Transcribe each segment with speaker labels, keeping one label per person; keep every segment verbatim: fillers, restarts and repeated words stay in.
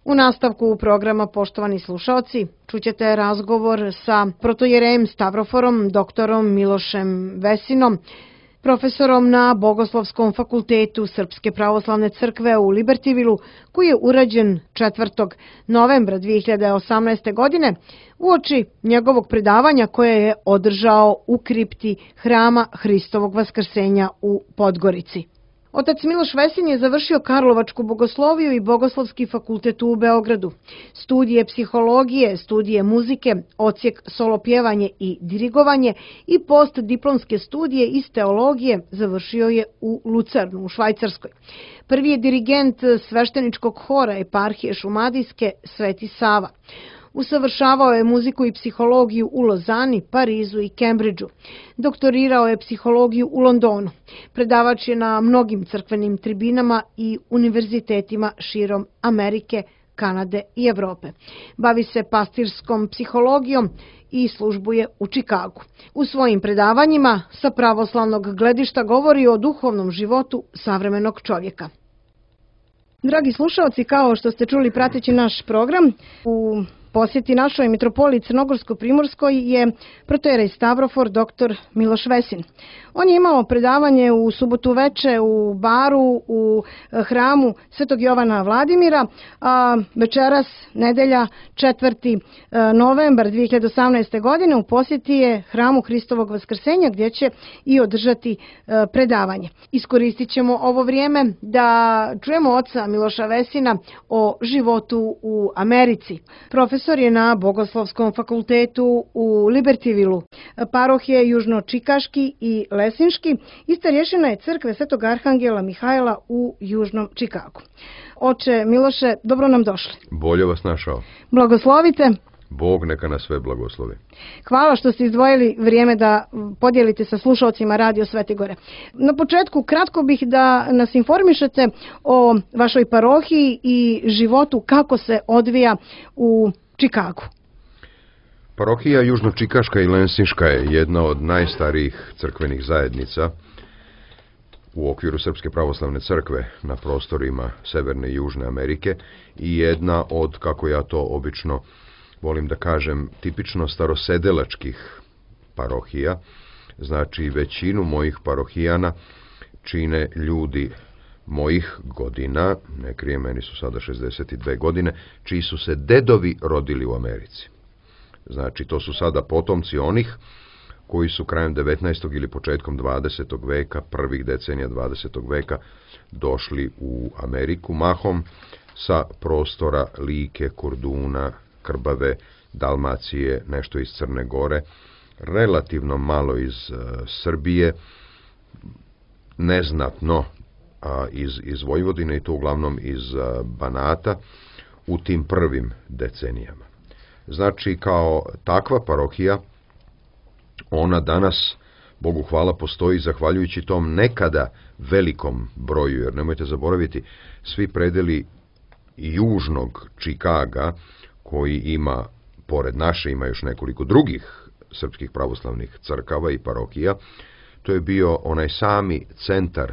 Speaker 1: U nastavku programa, poštovani slušaoci, čućete razgovor sa protojerejem Stavroforom, doktorom Milošem Vesinom, profesorom na Bogoslovskom fakultetu Srpske pravoslavne crkve u Libertivilu, koji je urađen četvrtog novembra dve hiljade osamnaeste. godine uoči njegovog predavanja koje je održao u kripti Hrama Hristovog Vaskrsenja u Podgorici. Otac Miloš Vesin je završio Karlovačku bogosloviju i Bogoslovski fakultet u Beogradu. Studije psihologije, studije muzike, odsjek solopjevanje i dirigovanje i postdiplomske studije iz teologije završio je u Lucernu u Švajcarskoj. Prvi je dirigent svešteničkog hora eparhije Šumadijske Sveti Sava. Usavršavao je muziku i psihologiju u Lozani, Parizu i Kembridžu. Doktorirao je psihologiju u Londonu. Predavač je na mnogim crkvenim tribinama i univerzitetima širom Amerike, Kanade i Evrope. Bavi se pastirskom psihologijom i službuje u Čikagu. U svojim predavanjima sa pravoslavnog gledišta govori o duhovnom životu savremenog čovjeka. Dragi slušalci, kao što ste čuli prateći naš program, u posjeti našoj mitropoliji Crnogorsko-Primorskoj je protojerej Stavrofor doktor Miloš Vesin. On je imao predavanje u subotu veče u baru u hramu Svetog Jovana Vladimira, a večeras, nedelja, četvrti novembar dve hiljade osamnaeste. godine u posjeti je Hramu Hristovog Vaskrsenja gdje će i održati predavanje. Iskoristit ćemo ovo vrijeme da čujemo oca Miloša Vesina o životu u Americi. Profesor je na Bogoslovskom fakultetu u Libertivilu, parohije Južno-Čikaški i Lesinški i starješina je crkve Svetog Arhangela Mihajla u Južnom Čikagu. Oče Miloše, dobro nam došli.
Speaker 2: Bolje vas našao.
Speaker 1: Blagoslovite.
Speaker 2: Bog neka nas sve blagoslovi.
Speaker 1: Hvala što ste izdvojili vrijeme da podijelite sa slušalcima Radio Svete Gore. Na početku kratko bih da nas informišete o vašoj parohiji i životu kako se odvija u Čikagu.
Speaker 2: Parohija Južno-Čikaška i Lensinška je jedna od najstarijih crkvenih zajednica u okviru Srpske pravoslavne crkve na prostorima Severne i Južne Amerike i jedna od, kako ja to obično volim da kažem, tipično starosedelačkih parohija. Znači, većinu mojih parohijana čine ljudi mojih godina, ne krijem, meni su sada šezdeset dve godine, čiji su se dedovi rodili u Americi. Znači, to su sada potomci onih koji su krajem devetnaestog ili početkom dvadesetog veka, prvih decenija dvadesetog veka, došli u Ameriku, mahom sa prostora Like, Korduna, Krbave, Dalmacije, nešto iz Crne Gore, relativno malo iz uh, Srbije, neznatno a, iz, iz Vojvodine i to uglavnom iz a, Banata u tim prvim decenijama. Znači, kao takva parohija, ona danas, Bogu hvala, postoji zahvaljujući tom nekada velikom broju, jer nemojte zaboraviti, svi predeli južnog Čikaga, koji ima, pored naše, ima još nekoliko drugih srpskih pravoslavnih crkava i parohija, to je bio onaj sami centar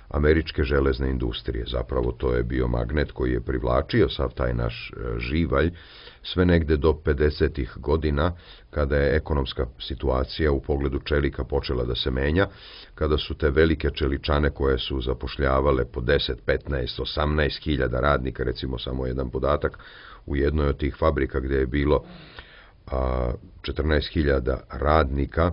Speaker 2: američke železne industrije. Zapravo to je bio magnet koji je privlačio sav taj naš živalj sve negde do pedesetih godina, kada je ekonomska situacija u pogledu čelika počela da se menja, kada su te velike čeličane koje su zapošljavale po deset, petnaest, osamnaest hiljada radnika, recimo samo jedan podatak, u jednoj od tih fabrika gdje je bilo a, četrnaest hiljada radnika,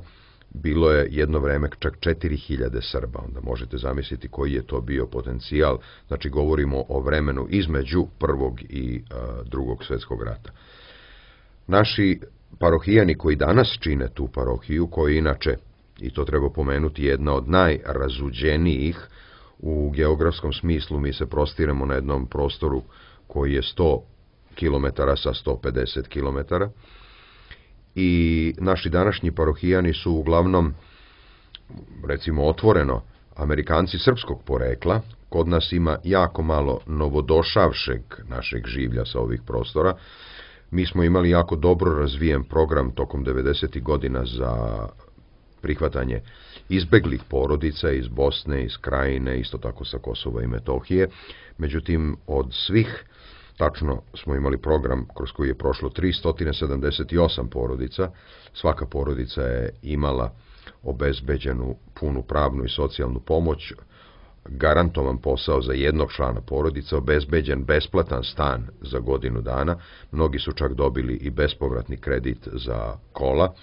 Speaker 2: bilo je jedno vreme čak četiri hiljade Srba. Onda možete zamisliti koji je to bio potencijal. Znači, govorimo o vremenu između prvog i a, drugog svjetskog rata. Naši parohijani koji danas čine tu parohiju, koji inače, i to treba pomenuti, jedna od najrazuđenijih u geografskom smislu, mi se prostiremo na jednom prostoru koji je sto kilometara sa sto pedeset kilometara, i naši današnji parohijani su uglavnom, recimo otvoreno, Amerikanci srpskog porekla. Kod nas ima jako malo novodošavšeg našeg življa sa ovih prostora. Mi smo imali jako dobro razvijen program tokom devedesetih godina za prihvatanje izbeglih porodica iz Bosne, iz Krajine, isto tako sa Kosova i Metohije. Međutim, od svih Tačno smo imali program kroz koji je prošlo tristo sedamdeset osam porodica. Svaka porodica je imala obezbeđenu punu pravnu i socijalnu pomoć, garantovan posao za jednog člana porodice, obezbeđen besplatan stan za godinu dana. Mnogi su čak dobili i bespovratni kredit za kola.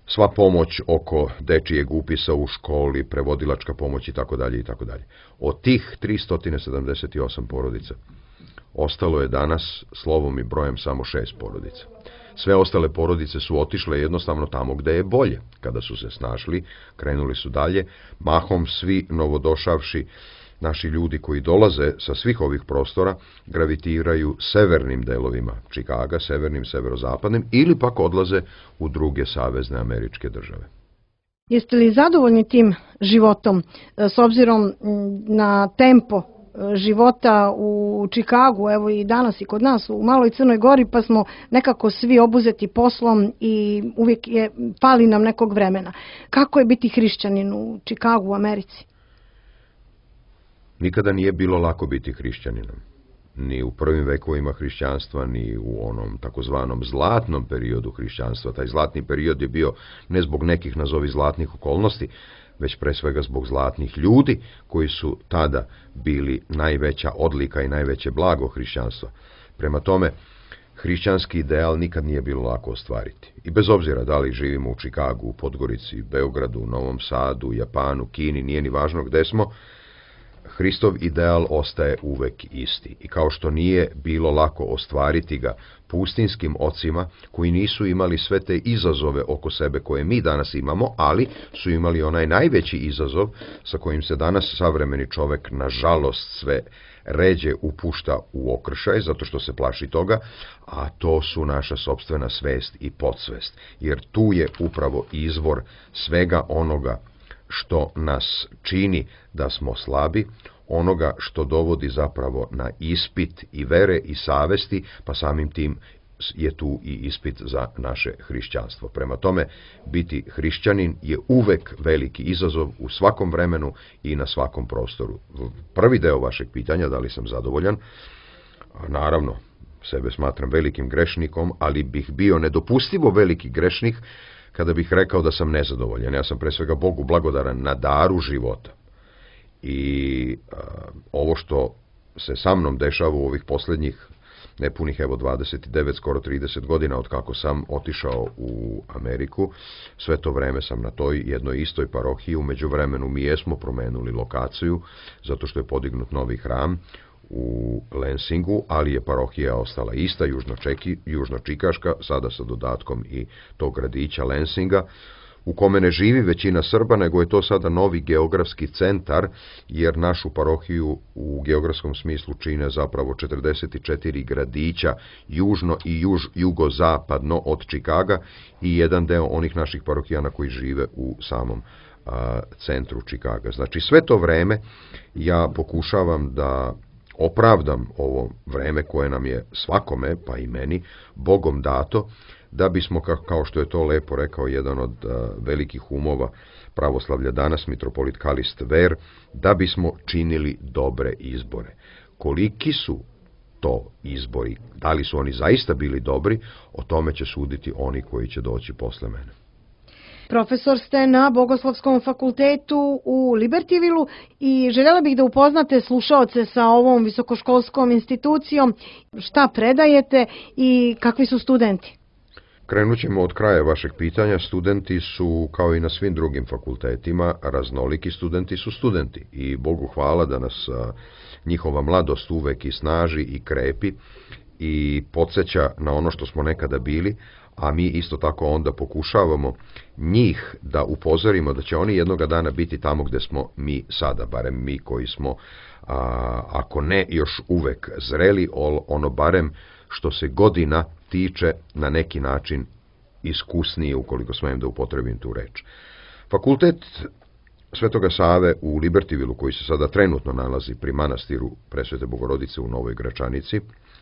Speaker 2: Sva pomoć oko dečijeg upisa u školi, prevodilačka pomoć i tako dalje i tako dalje. Od tih tristo sedamdeset osam porodica ostalo je danas slovom i brojem samo šest porodica. Sve ostale porodice su otišle jednostavno tamo gde je bolje. Kada su se snašli, krenuli su dalje. Mahom svi novodošavši naši ljudi koji dolaze sa svih ovih prostora gravitiraju severnim delovima Čikaga, severnim, severozapadnim, ili pak odlaze u druge savezne američke države.
Speaker 1: Jeste li zadovoljni tim životom s obzirom na tempo života u Čikagu, evo i danas i kod nas u Maloj Crnoj Gori, pa smo nekako svi obuzeti poslom i uvijek je fali nam nekog vremena. Kako je biti hrišćanin u Čikagu, u Americi?
Speaker 2: Nikada nije bilo lako biti hrišćaninom. Ni u prvim vekovima hrišćanstva, ni u onom takozvanom zlatnom periodu hrišćanstva. Taj zlatni period je bio ne zbog nekih nazovi zlatnih okolnosti, već pre svega zbog zlatnih ljudi koji su tada bili najveća odlika i najveće blago hrišćanstva. Prema tome, hrišćanski ideal nikad nije bilo lako ostvariti. I bez obzira da li živimo u Čikagu, u Podgorici, Beogradu, Novom Sadu, Japanu, Kini, nije ni važno gde smo, Hristov ideal ostaje uvek isti. I kao što nije bilo lako ostvariti ga pustinskim ocima koji nisu imali sve te izazove oko sebe koje mi danas imamo, ali su imali onaj najveći izazov sa kojim se danas savremeni čovek nažalost sve ređe upušta u okršaj, zato što se plaši toga, a to su naša sopstvena svest i podsvest. Jer tu je upravo izvor svega onoga što nas čini da smo slabi, onoga što dovodi zapravo na ispit i vere i savesti, pa samim tim je tu i ispit za naše hrišćanstvo. Prema tome, biti hrišćanin je uvek veliki izazov u svakom vremenu i na svakom prostoru. Prvi deo vašeg pitanja, da li sam zadovoljan, naravno, sebe smatram velikim grešnikom, ali bih bio nedopustivo veliki grešnik kada bih rekao da sam nezadovoljan. Ja sam pre svega Bogu blagodaran na daru života. I a, ovo što se sa mnom dešava u ovih poslednjih nepunih evo dvadeset devet, skoro trideset godina od kako sam otišao u Ameriku, sve to vreme sam na toj jednoj istoj parohiji. U međuvremenu mi jesmo promenuli lokaciju, zato što je podignut novi hram u Lensingu, ali je parohija ostala ista, južno-čeki, južno-čikaška, sada sa dodatkom i tog gradića Lensinga, u kome ne živi većina Srba, nego je to sada novi geografski centar, jer našu parohiju u geografskom smislu čine zapravo četrdeset četiri gradića južno i juž, jugozapadno od Čikaga i jedan deo onih naših parohijana koji žive u samom a, centru Čikaga. Znači sve to vreme ja pokušavam da opravdam ovo vreme koje nam je svakome, pa i meni, Bogom dato, da bismo, kao što je to lepo rekao jedan od velikih umova pravoslavlja danas, mitropolit Kalist Ver, da bismo činili dobre izbore. Koliki su to izbori, da li su oni zaista bili dobri, o tome će suditi oni koji će doći posle mene.
Speaker 1: Profesor ste na Bogoslovskom fakultetu u Libertyvilu i željela bih da upoznate slušaoce sa ovom visokoškolskom institucijom, šta predajete i kakvi su studenti.
Speaker 2: Krenut ćemo od kraja vašeg pitanja. Studenti su, kao i na svim drugim fakultetima, raznoliki studenti su studenti i Bogu hvala da nas a, njihova mladost uvek i snaži i krepi i podsjeća na ono što smo nekada bili, a mi isto tako onda pokušavamo njih da upozorimo da će oni jednoga dana biti tamo gde smo mi sada, barem mi koji smo, a, ako ne još uvek zreli, ono barem što se godina tiče na neki način iskusnije, ukoliko smijem da upotrebim tu reč. Fakultet Svetoga Save u Libertyvilu, koji se sada trenutno nalazi pri manastiru Presvete Bogorodice u Novoj Gračanici,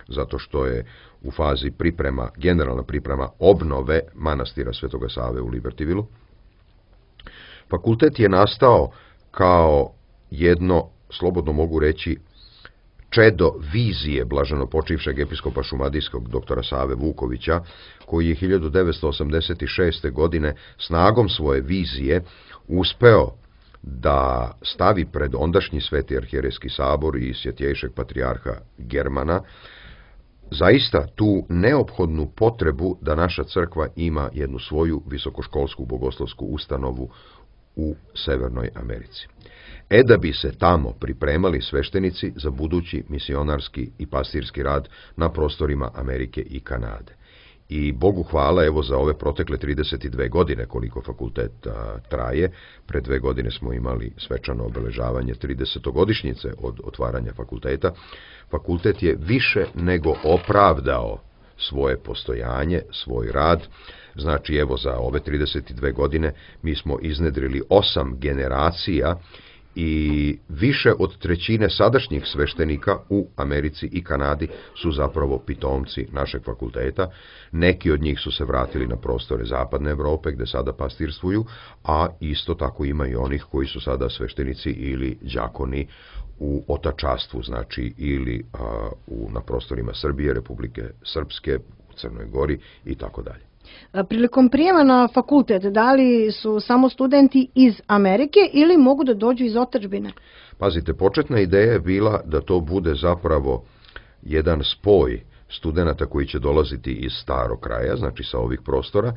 Speaker 2: zato što je u fazi priprema, generalna priprema obnove manastira Svetoga Save u Libertyvilu. Fakultet je nastao kao jedno, slobodno mogu reći, čedo vizije blaženopočivšeg episkopa šumadijskog doktora Save Vukovića, koji je hiljadu devetsto osamdeset šeste. godine snagom svoje vizije uspeo da stavi pred ondašnji Sveti arhijerejski sabor i svjetjejšeg patrijarha Germana zaista tu neophodnu potrebu da naša crkva ima jednu svoju visokoškolsku bogoslovsku ustanovu u Severnoj Americi. E da bi se tamo pripremali sveštenici za budući misionarski i pastirski rad na prostorima Amerike i Kanade. I Bogu hvala, evo za ove protekle trideset dve godine koliko fakultet a, traje, pre dve godine smo imali svečano obeležavanje tridesetogodišnjice od otvaranja fakulteta. Fakultet je više nego opravdao svoje postojanje, svoj rad. Znači, evo za ove trideset dve godine mi smo iznedrili osam generacija i više od trećine sadašnjih sveštenika u Americi i Kanadi su zapravo pitomci našeg fakulteta. Neki od njih su se vratili na prostore Zapadne Evrope gde sada pastirstvuju, a isto tako ima i onih koji su sada sveštenici ili đakoni u otačastvu, znači ili a, u, na prostorima Srbije, Republike Srpske, u Crnoj Gori i tako dalje.
Speaker 1: Prilikom prijema na fakultet, da li su samo studenti iz Amerike ili mogu da dođu iz otadžbine?
Speaker 2: Pazite, početna ideja je bila da to bude zapravo jedan spoj studenata koji će dolaziti iz starog kraja, znači sa ovih prostora,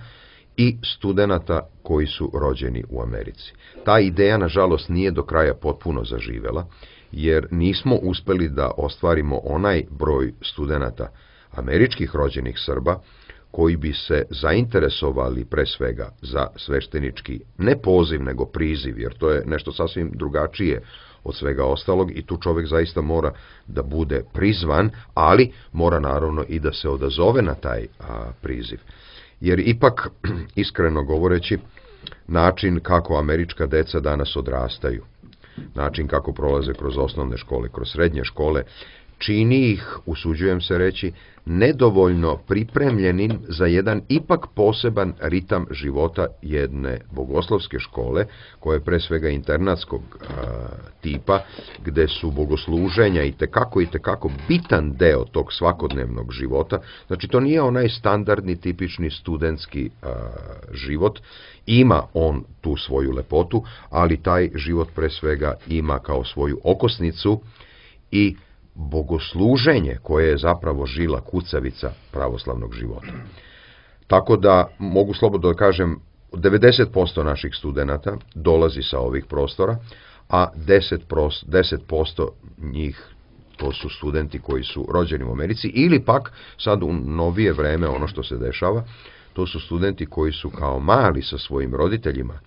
Speaker 2: i studenata koji su rođeni u Americi. Ta ideja, nažalost, nije do kraja potpuno zaživela, jer nismo uspeli da ostvarimo onaj broj studenata američkih rođenih Srba koji bi se zainteresovali pre svega za sveštenički, ne poziv, nego priziv, jer to je nešto sasvim drugačije od svega ostalog i tu čovjek zaista mora da bude prizvan, ali mora naravno i da se odazove na taj a, priziv. Jer ipak, iskreno govoreći, način kako američka deca danas odrastaju, način kako prolaze kroz osnovne škole, kroz srednje škole, čini ih, usuđujem se reći, nedovoljno pripremljenim za jedan ipak poseban ritam života jedne bogoslovske škole, koja je pre svega internatskog a, tipa, gde su bogosluženja i tekako i tekako bitan deo tog svakodnevnog života. Znači, to nije onaj standardni, tipični studentski a, život. Ima on tu svoju lepotu, ali taj život pre svega ima kao svoju okosnicu i bogosluženje koje je zapravo žila kucavica pravoslavnog života. Tako da mogu slobodno da kažem, devedeset posto naših studenata dolazi sa ovih prostora, a deset posto njih to su studenti koji su rođeni u Americi ili pak sad u novije vreme ono što se dešava, to su studenti koji su kao mali sa svojim roditeljima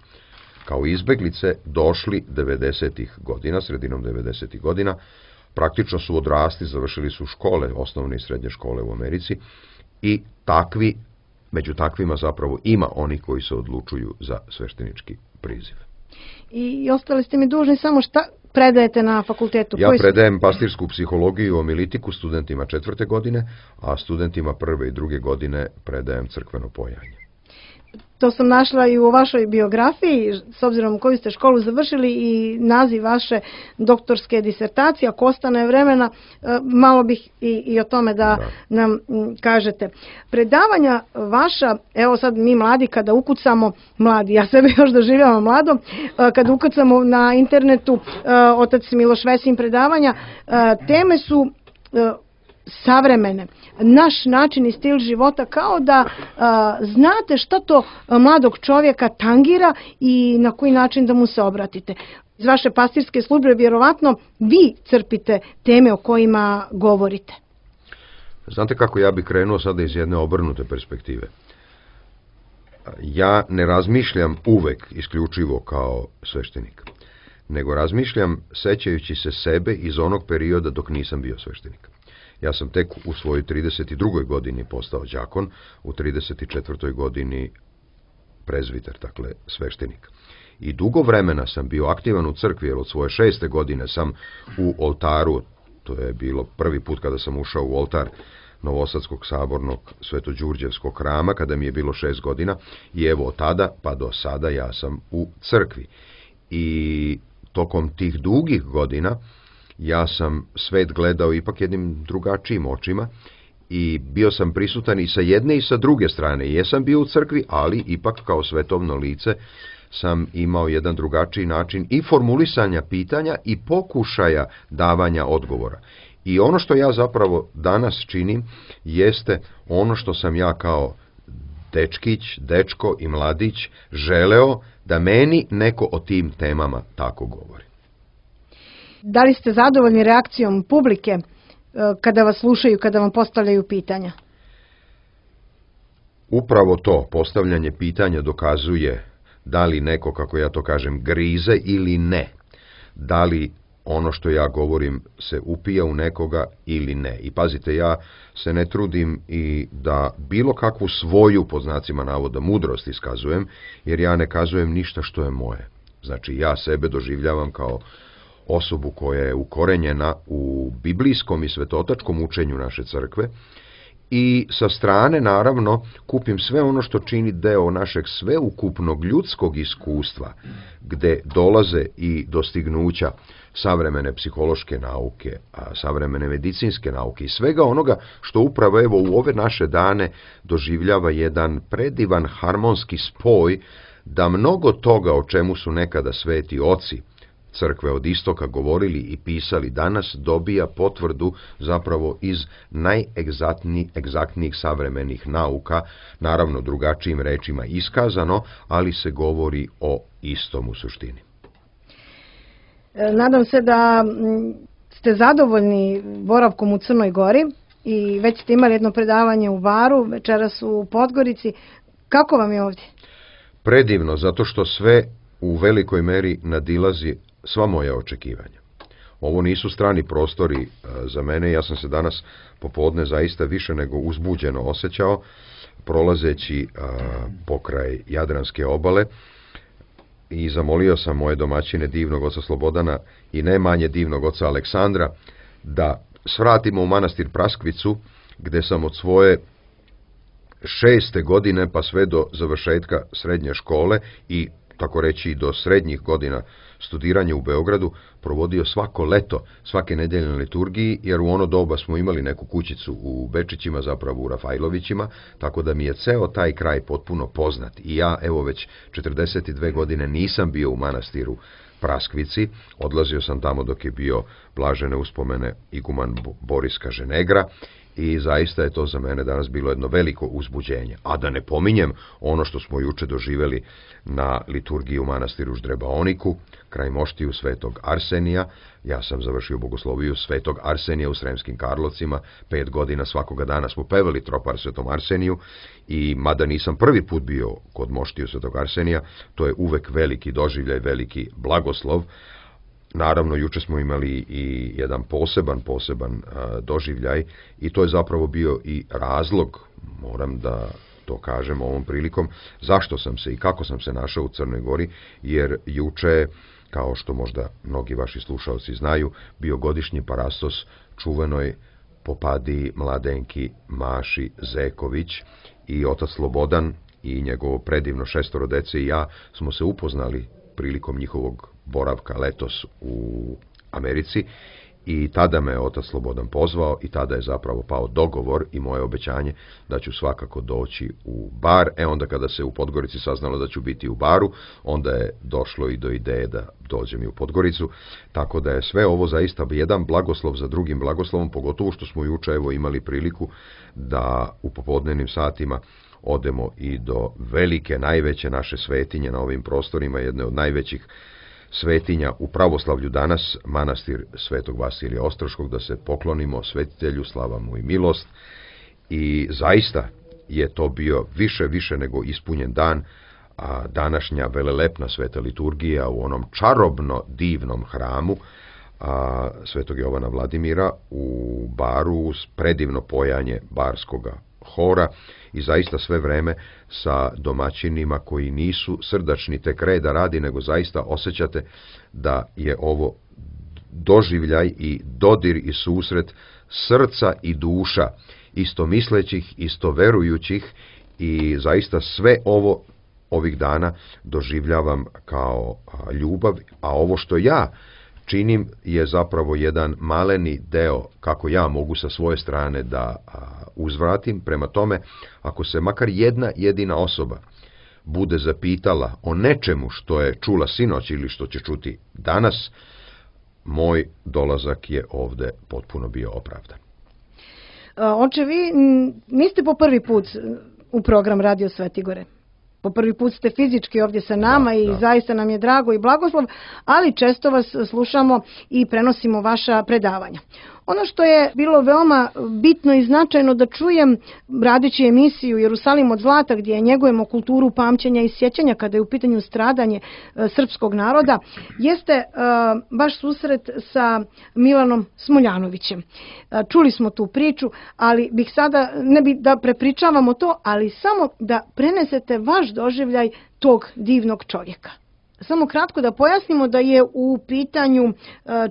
Speaker 2: kao izbeglice došli devedesetih godina, sredinom devedesetih godina, praktično su odrasli, završili su škole, osnovne i srednje škole u Americi i takvi, među takvima zapravo ima oni koji se odlučuju za sveštenički priziv.
Speaker 1: I ostali ste mi dužni samo šta predajete na fakultetu?
Speaker 2: Ja predajem pastirsku psihologiju i omilitiku studentima četvrte godine, a studentima prve i druge godine predajem crkveno pojanje.
Speaker 1: To sam našla i u vašoj biografiji, s obzirom koju ste školu završili i naziv vaše doktorske disertacije. Ako ostane vremena, malo bih i, i o tome da, da nam kažete. Predavanja vaša, evo sad mi mladi kada ukucamo, mladi, ja sebe još doživljavam mladom, kada ukucamo na internetu otac Miloš Vesin predavanja, teme su savremene, naš način i stil života, kao da a, znate šta to mladog čovjeka tangira i na koji način da mu se obratite. Iz vaše pastirske službe vjerovatno vi crpite teme o kojima govorite.
Speaker 2: Znate kako ja bih krenuo sada iz jedne obrnute perspektive. Ja ne razmišljam uvek isključivo kao sveštenik, nego razmišljam sećajući se sebe iz onog perioda dok nisam bio sveštenik. Ja sam tek u svojoj trideset drugoj godini postao đakon, u trideset četvrtoj godini prezviter, dakle sveštenik. I dugo vremena sam bio aktivan u crkvi, jer od svoje šeste godine sam u oltaru, to je bilo prvi put kada sam ušao u oltar Novosadskog sabornog Svetođurđevskog hrama, kada mi je bilo šest godina, i evo od tada pa do sada ja sam u crkvi. I tokom tih dugih godina ja sam svet gledao ipak jednim drugačijim očima i bio sam prisutan i sa jedne i sa druge strane. Jesam bio u crkvi, ali ipak kao svetovno lice sam imao jedan drugačiji način i formulisanja pitanja i pokušaja davanja odgovora. I ono što ja zapravo danas činim jeste ono što sam ja kao dečkić, dečko i mladić želeo da meni neko o tim temama tako govori.
Speaker 1: Da li ste zadovoljni reakcijom publike kada vas slušaju, kada vam postavljaju pitanja?
Speaker 2: Upravo to, postavljanje pitanja dokazuje da li neko, kako ja to kažem, grize ili ne. Da li ono što ja govorim se upija u nekoga ili ne. I pazite, ja se ne trudim i da bilo kakvu svoju, pod znacima navoda, mudrost iskazujem, jer ja ne kazujem ništa što je moje. Znači, ja sebe doživljavam kao osobu koja je ukorenjena u biblijskom i svetotačkom učenju naše crkve i sa strane, naravno, kupim sve ono što čini deo našeg sveukupnog ljudskog iskustva, gde dolaze i dostignuća savremene psihološke nauke, a savremene medicinske nauke i svega onoga što upravo evo u ove naše dane doživljava jedan predivan harmonski spoj da mnogo toga o čemu su nekada sveti oci crkve od istoka govorili i pisali danas dobija potvrdu zapravo iz najegzaktnijih savremenih nauka, naravno drugačijim rečima iskazano, ali se govori o istom u suštini.
Speaker 1: Nadam se da ste zadovoljni boravkom u Crnoj Gori i već ste imali jedno predavanje u Baru, večeras u Podgorici. Kako vam je ovdje?
Speaker 2: Predivno, zato što sve u velikoj meri nadilazi sva moja očekivanja. Ovo nisu strani prostori za mene, ja sam se danas popodne zaista više nego uzbuđeno osjećao, prolazeći a, pokraj Jadranske obale i zamolio sam moje domaćine divnog oca Slobodana i ne manje divnog oca Aleksandra da svratimo u manastir Praskvicu, gde sam od svoje šeste godine pa sve do završetka srednje škole i tako reći do srednjih godina studiranja u Beogradu provodio svako leto, svake nedelje na liturgiji, jer u ono doba smo imali neku kućicu u Bečićima, zapravo u Rafajlovićima, tako da mi je ceo taj kraj potpuno poznat. I ja, evo već četrdeset dve godine nisam bio u manastiru Praskvici, odlazio sam tamo dok je bio blažene uspomene iguman Boris Kaženegra, i zaista je to za mene danas bilo jedno veliko uzbuđenje. A da ne pominjem ono što smo juče doživeli na liturgiji u manastiru Ždrebaoniku, kraj moštiju Svetog Arsenija. Ja sam završio bogosloviju Svetog Arsenija u Sremskim Karlovcima, pet godina svakoga dana smo pevali tropar Svetom Arseniju i mada nisam prvi put bio kod moštiju Svetog Arsenija, to je uvek veliki doživljaj, veliki blagoslov. Naravno, juče smo imali i jedan poseban, poseban a, doživljaj i to je zapravo bio i razlog, moram da to kažem ovom prilikom, zašto sam se i kako sam se našao u Crnoj Gori, jer juče, kao što možda mnogi vaši slušalci znaju, bio godišnji parastos čuvenoj popadi mladenki Maši Zeković i otac Slobodan i njegovo predivno šestoro dece i ja smo se upoznali prilikom njihovog boravka letos u Americi i tada me otac Slobodan pozvao i tada je zapravo pao dogovor i moje obećanje da ću svakako doći u Bar. E onda kada se u Podgorici saznalo da ću biti u Baru, onda je došlo i do ideje da dođem i u Podgoricu, tako da je sve ovo zaista jedan blagoslov za drugim blagoslovom, pogotovo što smo juče evo imali priliku da u popodnevnim satima odemo i do velike, najveće naše svetinje na ovim prostorima, jedne od najvećih svetinja u pravoslavlju danas, manastir Svetog Vasilija Ostroškog, da se poklonimo svetitelju, slava mu i milost. I zaista je to bio više, više nego ispunjen dan, a današnja velelepna sveta liturgija u onom čarobno divnom hramu a, Svetog Jovana Vladimira u Baru, predivno pojanje barskoga hora i zaista sve vreme sa domaćinima koji nisu srdačni tek reda radi, nego zaista osjećate da je ovo doživljaj i dodir i susret srca i duša istomislećih, istoverujućih i zaista sve ovo ovih dana doživljavam kao ljubav, a ovo što ja činim je zapravo jedan maleni deo kako ja mogu sa svoje strane da uzvratim. Prema tome, ako se makar jedna jedina osoba bude zapitala o nečemu što je čula sinoć ili što će čuti danas, moj dolazak je ovde potpuno bio opravdan.
Speaker 1: Oče, vi niste po prvi put u program Radio Svetigore. Po prvi put ste fizički ovdje sa nama da, i da. Zaista nam je drago i blagoslov, ali često vas slušamo i prenosimo vaša predavanja. Ono što je bilo veoma bitno i značajno da čujem, radeći emisiju Jerusalim od zlata, gdje njegujemo kulturu pamćenja i sjećanja kada je u pitanju stradanje e, srpskog naroda, jeste e, baš susret sa Milanom Smoljanovićem. E, čuli smo tu priču, ali bih sada, ne bih da prepričavamo to, ali samo da prenesete vaš doživljaj tog divnog čovjeka. Samo kratko da pojasnimo da je u pitanju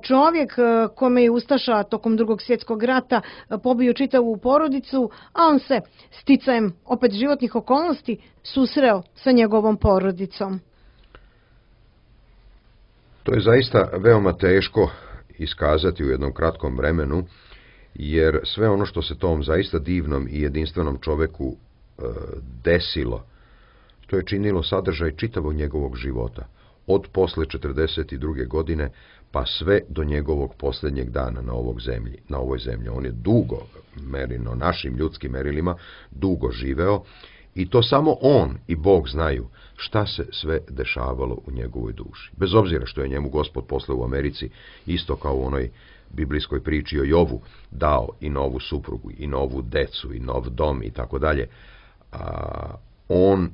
Speaker 1: čovjek kome je ustaša tokom Drugog svjetskog rata pobio čitavu porodicu, a on se sticajem opet životnih okolnosti susreo sa njegovom porodicom.
Speaker 2: To je zaista veoma teško iskazati u jednom kratkom vremenu, jer sve ono što se tom zaista divnom i jedinstvenom čoveku e, desilo, to je činilo sadržaj čitavog njegovog života. Od posle četrdeset druge godine pa sve do njegovog posljednjeg dana na ovog zemlji, na ovoj zemlji. On je dugo, merino našim ljudskim merilima, dugo živeo i to samo on i Bog znaju šta se sve dešavalo u njegovoj duši. Bez obzira što je njemu Gospod posle u Americi, isto kao u onoj biblijskoj priči o Jovu, dao i novu suprugu, i novu decu, i nov dom i tako dalje. On,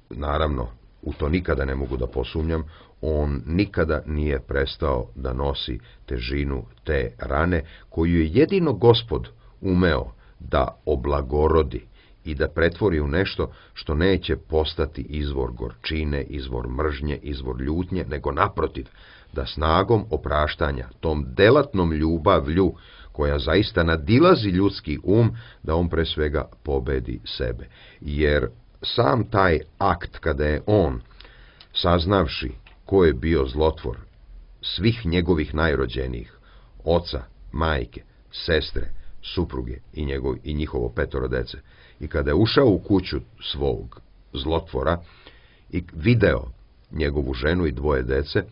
Speaker 2: naravno, u to nikada ne mogu da posumnjam, on nikada nije prestao da nosi težinu te rane, koju je jedino Gospod umeo da oblagorodi i da pretvori u nešto što neće postati izvor gorčine, izvor mržnje, izvor ljutnje, nego naprotiv, da snagom opraštanja, tom delatnom ljubavlju, koja zaista nadilazi ljudski um, da on pre svega pobedi sebe. Jer sam taj akt kada je on, saznavši ko je bio zlotvor svih njegovih najrođenijih, oca, majke, sestre, supruge i, njegov, i njihovo petoro dece, i kada je ušao u kuću svog zlotvora i video njegovu ženu i dvoje dece,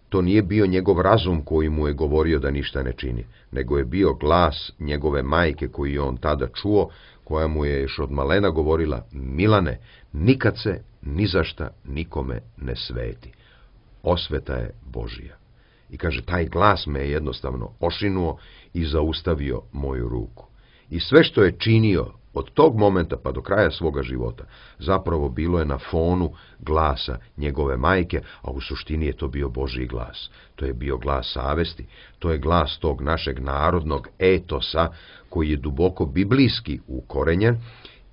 Speaker 2: to nije bio njegov razum koji mu je govorio da ništa ne čini, nego je bio glas njegove majke koji je on tada čuo, koja mu je još od malena govorila: Milane, nikad se ni za šta nikome ne sveti. Osveta je Božija. I kaže, taj glas me je jednostavno ošinuo i zaustavio moju ruku. I sve što je činio od tog momenta pa do kraja svoga života, zapravo bilo je na fonu glasa njegove majke, a u suštini je to bio Božji glas. To je bio glas savesti, to je glas tog našeg narodnog etosa koji je duboko biblijski ukorenjen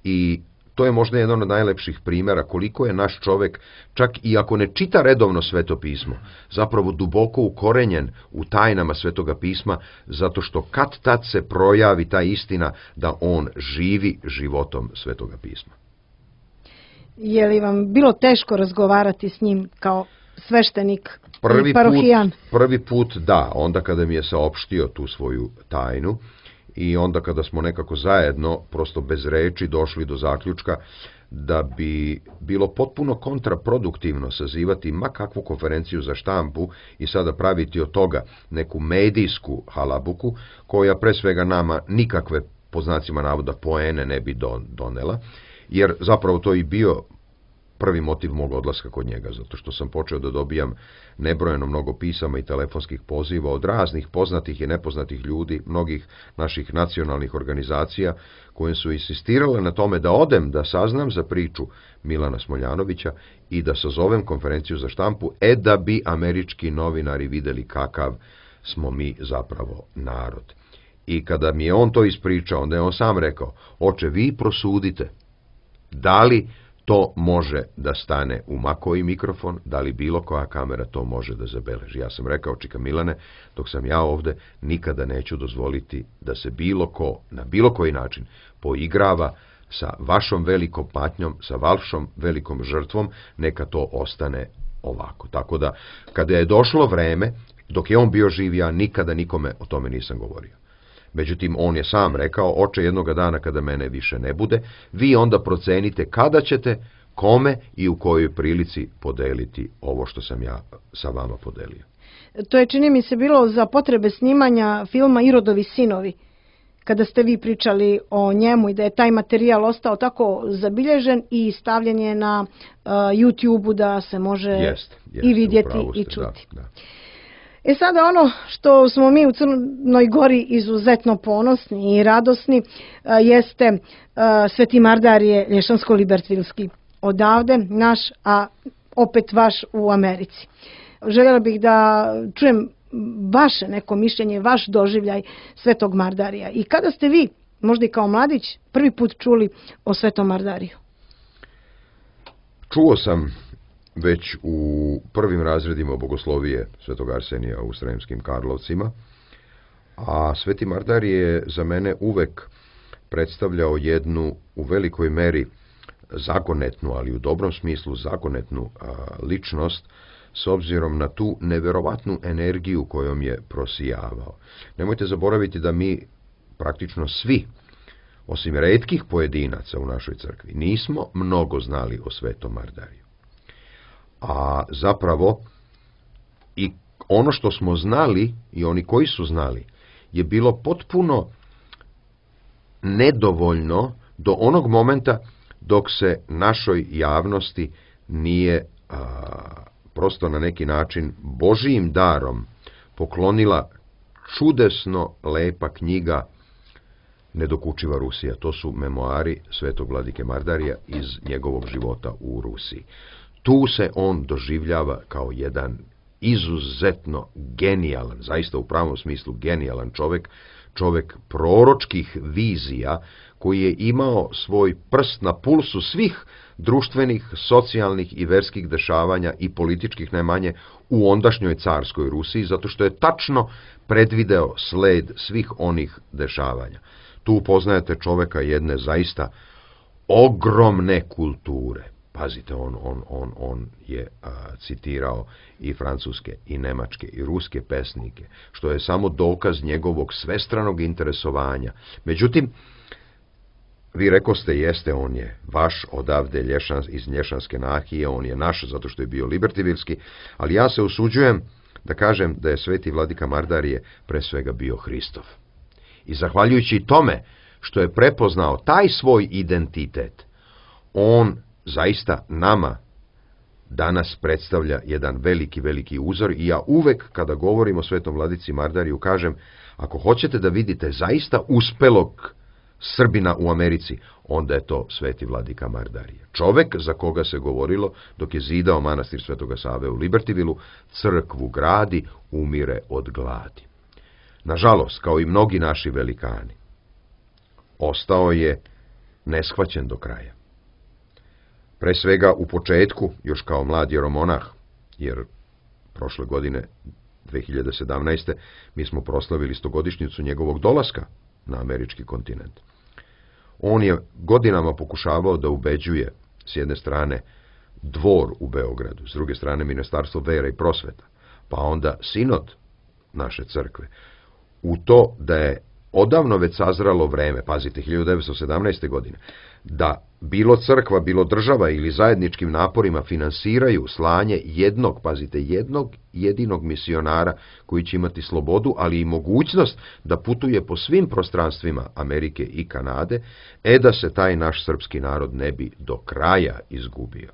Speaker 2: i to je možda jedan od najlepših primjera koliko je naš čovek, čak i ako ne čita redovno Sveto pismo, zapravo duboko ukorenjen u tajnama Svetoga pisma, zato što kad tad se projavi ta istina da on živi životom Svetoga pisma.
Speaker 1: Je li vam bilo teško razgovarati s njim kao sveštenik
Speaker 2: prvi
Speaker 1: i parohijan?
Speaker 2: Put, prvi put da, onda kada mi je saopštio tu svoju tajnu, i onda kada smo nekako zajedno, prosto bez reči, došli do zaključka da bi bilo potpuno kontraproduktivno sazivati ma kakvu konferenciju za štampu i sada praviti od toga neku medijsku halabuku, koja pre svega nama nikakve, po znacima navoda, poene ne bi donela, jer zapravo to i bio prvi motiv mog odlaska kod njega, zato što sam počeo da dobijam nebrojeno mnogo pisama i telefonskih poziva od raznih poznatih i nepoznatih ljudi, mnogih naših nacionalnih organizacija, koje su insistirale na tome da odem da saznam za priču Milana Smoljanovića i da sazovem konferenciju za štampu, e da bi američki novinari videli kakav smo mi zapravo narod. I kada mi je on to ispričao, onda je on sam rekao: oče, vi prosudite, da li to može da stane u ma koji mikrofon, da li bilo koja kamera to može da zabeleži. Ja sam rekao: čika Milane, dok sam ja ovde, nikada neću dozvoliti da se bilo ko, na bilo koji način, poigrava sa vašom velikom patnjom, sa vašom velikom žrtvom, neka to ostane ovako. Tako da, kada je došlo vreme, Dok je on bio živ, ja nikada nikome o tome nisam govorio. Međutim, on je sam rekao, oče, jednoga dana kada mene više ne bude, vi onda procenite kada ćete, kome i u kojoj prilici podeliti ovo što sam ja sa vama podelio.
Speaker 1: To je, čini mi se, bilo za potrebe snimanja filma Irodovi sinovi, kada ste vi pričali o njemu i da je taj materijal ostao tako zabilježen i stavljen je na uh, YouTube-u da se može
Speaker 2: jest, jest,
Speaker 1: i vidjeti
Speaker 2: ste,
Speaker 1: i čuti.
Speaker 2: Da, da.
Speaker 1: E sada ono što smo mi u Crnoj Gori izuzetno ponosni i radosni uh, jeste uh, Sveti Mardarije Lješansko-Libertvilski. Odavde naš, a opet vaš u Americi. Željela bih da čujem vaše neko mišljenje, vaš doživljaj Svetog Mardarija. I kada ste vi, možda i kao mladić, prvi put čuli o Svetom Mardariju?
Speaker 2: Čuo sam već u prvim razredima bogoslovije Svetog Arsenija u Sremskim Karlovcima, a Sveti Mardarij je za mene uvek predstavljao jednu u velikoj meri zagonetnu, ali u dobrom smislu zagonetnu a, ličnost, s obzirom na tu neverovatnu energiju kojom je prosijavao. Nemojte zaboraviti da mi praktično svi, osim retkih pojedinaca u našoj crkvi, nismo mnogo znali o Svetom Mardariju. A zapravo i ono što smo znali i oni koji su znali je bilo potpuno nedovoljno do onog momenta dok se našoj javnosti nije a, prosto na neki način Božijim darom poklonila čudesno lepa knjiga Nedokučiva Rusija. To su memoari Svetog vladike Mardarija iz njegovog života u Rusiji. Tu se on doživljava kao jedan izuzetno genijalan, zaista u pravom smislu genijalan čovjek, čovjek proročkih vizija, koji je imao svoj prst na pulsu svih društvenih, socijalnih i verskih dešavanja i političkih najmanje u ondašnjoj carskoj Rusiji, zato što je tačno predvideo sled svih onih dešavanja. Tu upoznajete čovjeka jedne zaista ogromne kulture. Pazite, on, on, on, on je a, citirao i francuske, i nemačke, i ruske pesnike, što je samo dokaz njegovog svestranog interesovanja. Međutim, vi rekoste, jeste, on je vaš odavde lješan, iz Lješanske nahije, on je naš zato što je bio libertivilski, ali ja se usuđujem da kažem da je Sveti vladika Mardarije pre svega bio Hristov. I zahvaljujući tome što je prepoznao taj svoj identitet, on zaista nama danas predstavlja jedan veliki, veliki uzor i ja uvek kada govorim o Svetom vladici Mardariju kažem, ako hoćete da vidite zaista uspelog Srbina u Americi, onda je to Sveti vladika Mardarije. Čovek za koga se govorilo dok je zidao manastir Svetoga Save u Libertivilu, crkvu gradi, umire od gladi. Nažalost, kao i mnogi naši velikani, ostao je neshvaćen do kraja. Pre svega u početku, još kao mlad jeromonah, jer prošle godine, dve hiljade sedamnaeste. mi smo proslavili stogodišnjicu njegovog dolaska na američki kontinent. On je godinama pokušavao da ubeđuje, s jedne strane, dvor u Beogradu, s druge strane, Ministarstvo vere i prosveta, pa onda sinod naše crkve, u to da je odavno već sazralo vreme, pazite, hiljadu devetsto sedamnaeste. godine, da bilo crkva, bilo država ili zajedničkim naporima finansiraju slanje jednog, pazite, jednog jedinog misionara koji će imati slobodu, ali i mogućnost da putuje po svim prostranstvima Amerike i Kanade, e da se taj naš srpski narod ne bi do kraja izgubio.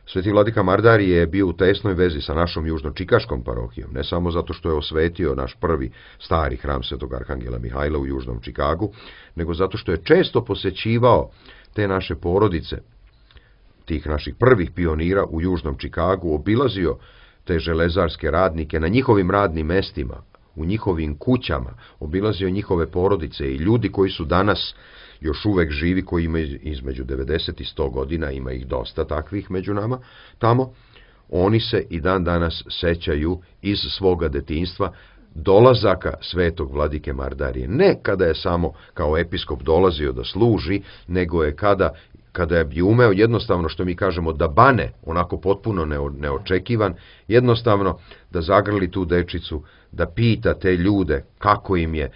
Speaker 2: Sveti vladika Mardarije je bio u tesnoj vezi sa našom južno-čikaškom parohijom, ne samo zato što je osvetio naš prvi stari hram Svetog Arhangela Mihajla u južnom Čikagu, nego zato što je često posećivao te naše porodice, tih naših prvih pionira u južnom Čikagu, obilazio te železarske radnike na njihovim radnim mestima, u njihovim kućama, obilazio njihove porodice i ljudi koji su danas još uvek živi, koji imaju između devedeset i sto godina, ima ih dosta takvih među nama, tamo, oni se i dan danas sećaju iz svoga detinjstva dolazaka Svetog vladike Mardarije. Ne kada je samo kao episkop dolazio da služi, nego je kada kada bi umeo jednostavno, što mi kažemo, da bane, onako potpuno neočekivan, jednostavno da zagrli tu dečicu, da pita te ljude kako im je,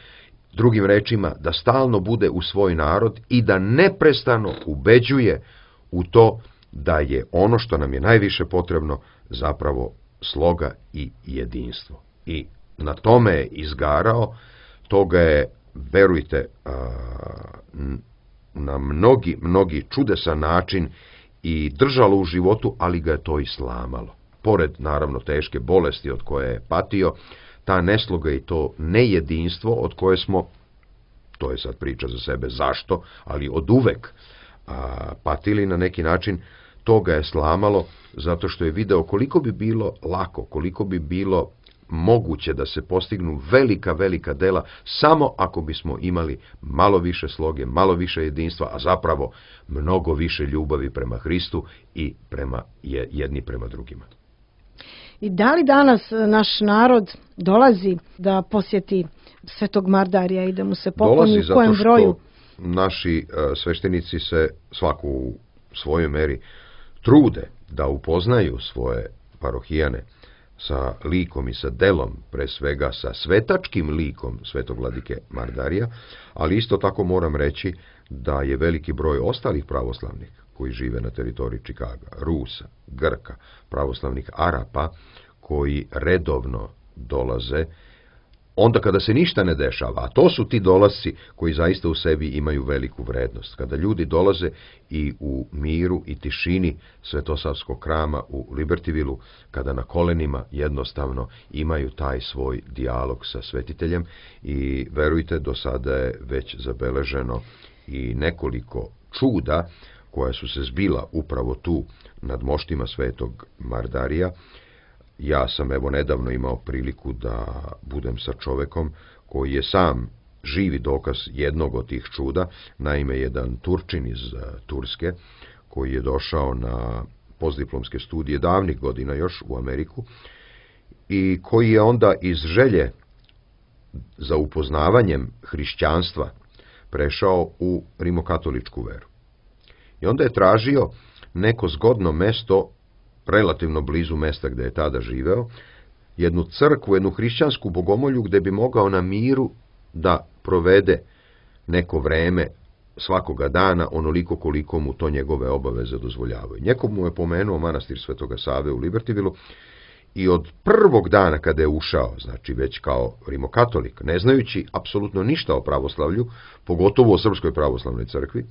Speaker 2: drugim rečima, da stalno bude u svoj narod i da neprestano ubeđuje u to da je ono što nam je najviše potrebno zapravo sloga i jedinstvo. I na tome je izgarao, toga je, verujte, na mnogi, mnogi čudesan način i držalo u životu, ali ga je to i slamalo. Pored, naravno, teške bolesti od koje je patio, ta nesloga i to nejedinstvo od koje smo, to je sad priča za sebe zašto, ali od uvek a, patili na neki način, to ga je slamalo zato što je video koliko bi bilo lako, koliko bi bilo moguće da se postignu velika, velika dela samo ako bismo imali malo više sloge, malo više jedinstva, a zapravo mnogo više ljubavi prema Hristu i prema jedni prema drugima.
Speaker 1: I da li danas naš narod dolazi da posjeti Svetog Mardarija i da mu se pokloni u kojem broju?
Speaker 2: Dolazi zato što naši sveštenici se svaku u svojoj meri trude da upoznaju svoje parohijane sa likom i sa delom, pre svega sa svetačkim likom Svetog vladike Mardarija, ali isto tako moram reći da je veliki broj ostalih pravoslavnih koji žive na teritoriji Čikaga, Rusa, Grka, pravoslavnih Arapa, koji redovno dolaze onda kada se ništa ne dešava, a to su ti dolasci koji zaista u sebi imaju veliku vrednost. Kada ljudi dolaze i u miru i tišini Svetosavskog hrama u Libertyvilu, kada na kolenima jednostavno imaju taj svoj dijalog sa svetiteljem i verujte, do sada je već zabeleženo i nekoliko čuda koja su se zbila upravo tu nad moštima Svetog Mardarija. Ja sam evo nedavno imao priliku da budem sa čovekom koji je sam živi dokaz jednog od tih čuda, naime jedan Turčin iz Turske koji je došao na postdiplomske studije davnih godina još u Ameriku i koji je onda iz želje za upoznavanjem hrišćanstva prešao u rimokatoličku veru. I onda je tražio neko zgodno mesto relativno blizu mesta gde je tada živeo, jednu crkvu, jednu hrišćansku bogomolju gde bi mogao na miru da provede neko vreme svakoga dana, onoliko koliko mu to njegove obaveze dozvoljavaju. Njekog mu je pomenuo manastir Svetoga Save u Libertyvilu i od prvog dana kada je ušao, znači već kao rimokatolik, ne znajući apsolutno ništa o pravoslavlju, pogotovo o Srpskoj pravoslavnoj crkvi,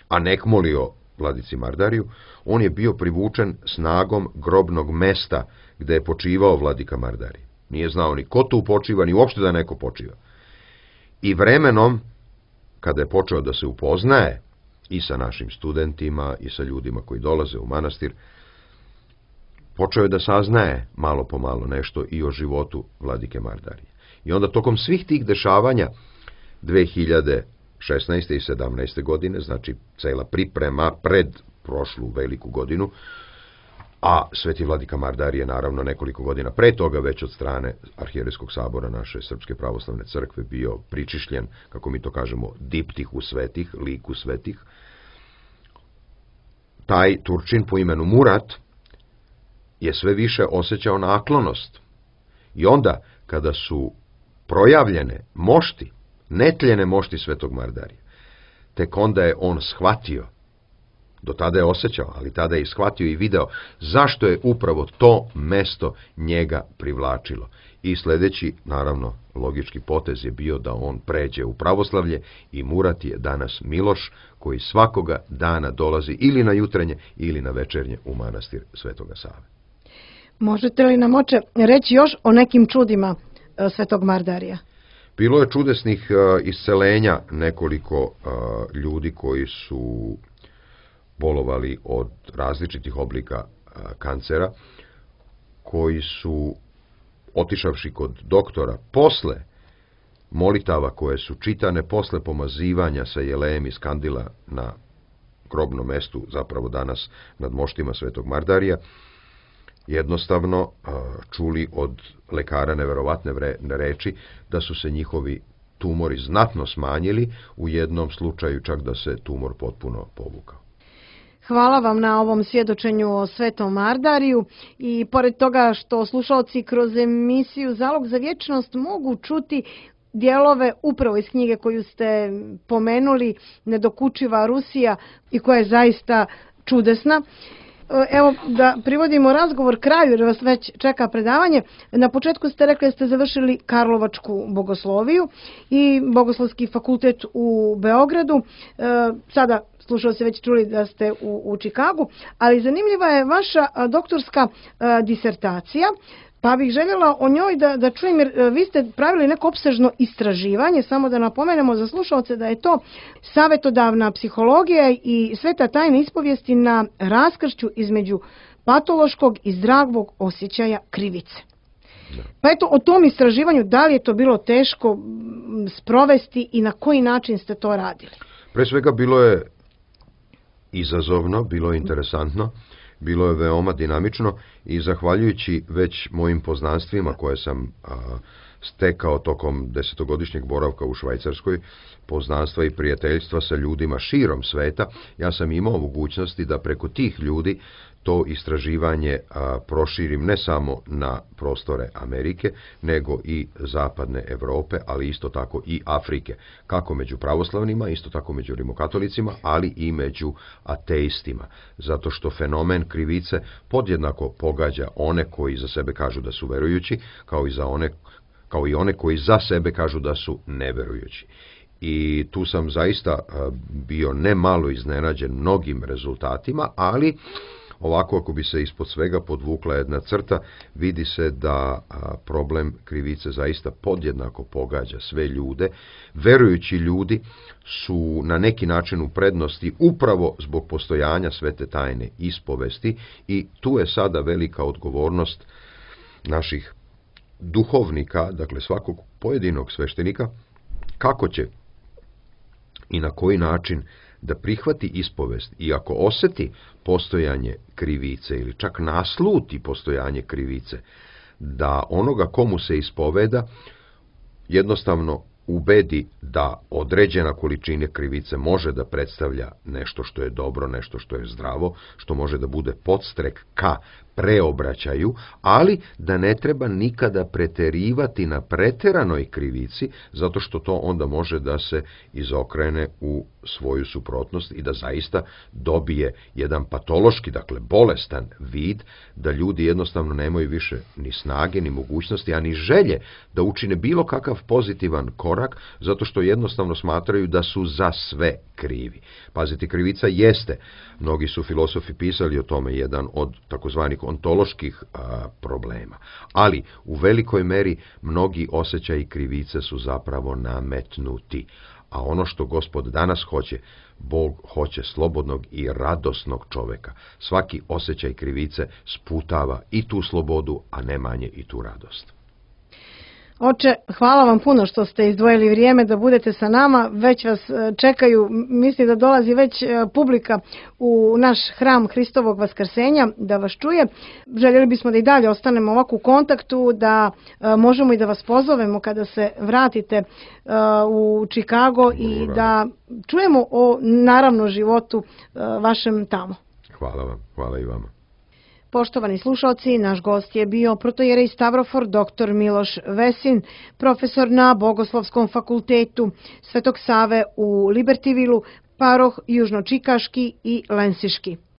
Speaker 2: a nek molio vladici Mardariju, on je bio privučen snagom grobnog mesta gde je počivao vladika Mardarij. Nije znao ni ko tu počiva, ni uopšte da neko počiva. I vremenom, kada je počeo da se upoznaje i sa našim studentima i sa ljudima koji dolaze u manastir, počeo je da saznaje malo po malo nešto i o životu vladike Mardarije. I onda tokom svih tih dešavanja dve hiljade šesnaeste i sedamnaeste godine, znači cela priprema pred prošlu veliku godinu, a Sveti vladika Mardarije naravno nekoliko godina pre toga već od strane Arhijerejskog sabora naše Srpske pravoslavne crkve bio pričišljen, kako mi to kažemo, diptihu svetih, liku svetih. Taj Turčin po imenu Murat je sve više osjećao naklonost. I onda, kada su projavljene mošti, netljene mošti Svetog Mardarija, tek onda je on shvatio, do tada je osjećao, ali tada je i shvatio i video zašto je upravo to mesto njega privlačilo. I sledeći, naravno, logički potez je bio da on pređe u pravoslavlje i Murat je danas Miloš koji svakoga dana dolazi ili na jutrenje ili na večernje u manastir Svetoga Save.
Speaker 1: Možete li nam, oče, reći još o nekim čudima Svetog Mardarija?
Speaker 2: Bilo je čudesnih uh, iscelenja nekoliko uh, ljudi koji su bolovali od različitih oblika uh, kancera, koji su, otišavši kod doktora, posle molitava koje su čitane, posle pomazivanja sa jelejem iz kandila na grobnom mestu, zapravo danas nad moštima Svetog Mardarija, jednostavno čuli od lekara neverovatne reči da su se njihovi tumori znatno smanjili, u jednom slučaju čak da se tumor potpuno povukao.
Speaker 1: Hvala vam na ovom svjedočenju o Svetom Mardariju i pored toga što slušalci kroz emisiju Zalog za vječnost mogu čuti dijelove upravo iz knjige koju ste pomenuli, Nedokučiva Rusija, i koja je zaista čudesna. Evo da privodimo razgovor kraju jer vas već čeka predavanje. Na početku ste rekli da ste završili Karlovačku bogosloviju i Bogoslovski fakultet u Beogradu. Sada slušao se već čuli da ste u, u Čikagu, ali zanimljiva je vaša doktorska disertacija. Pa bih željela o njoj da, da čujem, jer vi ste pravili neko opsežno istraživanje, samo da napomenemo za slušalce da je to savjetodavna psihologija i sveta tajna ispovijesti na raskršću između patološkog i zdravog osjećaja krivice. Pa eto, o tom istraživanju, da li je to bilo teško sprovesti i na koji način ste to radili?
Speaker 2: Pre svega bilo je izazovno, bilo je interesantno. Bilo je veoma dinamično i zahvaljujući već mojim poznanstvima koje sam a, stekao tokom desetogodišnjeg boravka u Švajcarskoj, poznanstva i prijateljstva sa ljudima širom sveta, ja sam imao mogućnosti da preko tih ljudi to istraživanje a, proširim ne samo na prostore Amerike, nego i zapadne Evrope, ali isto tako i Afrike, kako među pravoslavnima, isto tako među rimokatolicima, ali i među ateistima, zato što fenomen krivice podjednako pogađa one koji za sebe kažu da su verujući, kao i, za one, kao i one koji za sebe kažu da su neverujući. I tu sam zaista bio ne malo iznenađen mnogim rezultatima, ali ovako, ako bi se ispod svega podvukla jedna crta, vidi se da problem krivice zaista podjednako pogađa sve ljude. Verujući ljudi su na neki način u prednosti upravo zbog postojanja svete tajne ispovesti i tu je sada velika odgovornost naših duhovnika, dakle svakog pojedinog sveštenika, kako će i na koji način da prihvati ispovest i ako osjeti postojanje krivice ili čak nasluti postojanje krivice, da onoga komu se ispoveda jednostavno ubedi da određena količina krivice može da predstavlja nešto što je dobro, nešto što je zdravo, što može da bude podstrek ka preobraćaju, ali da ne treba nikada preterivati na preteranoj krivici, zato što to onda može da se izokrene u svoju suprotnost i da zaista dobije jedan patološki, dakle bolestan vid, da ljudi jednostavno nemaju više ni snage, ni mogućnosti, a ni želje da učine bilo kakav pozitivan korak, zato što jednostavno smatraju da su za sve krivi. Pazite, krivica jeste, mnogi su filosofi pisali o tome, jedan od takozvanih ontoloških a, problema, ali u velikoj meri mnogi osjećaji krivice su zapravo nametnuti. A ono što Gospod danas hoće, Bog hoće slobodnog i radosnog čoveka. Svaki osjećaj krivice sputava i tu slobodu, a ne manje i tu radost.
Speaker 1: Oče, hvala vam puno što ste izdvojili vrijeme da budete sa nama. Već vas čekaju, mislim da dolazi već publika u naš hram Hristovog vaskrsenja da vas čuje. Željeli bismo da i dalje ostanemo ovako u kontaktu, da možemo i da vas pozovemo kada se vratite u Čikago i da čujemo o naravno životu vašem tamo.
Speaker 2: Hvala vam, hvala i vama.
Speaker 1: Poštovani slušalci, naš gost je bio protojerej Stavrofor doktor Miloš Vesin, profesor na Bogoslovskom fakultetu Svetog Save u Libertyvilu, paroh južnočikaški i lensiški.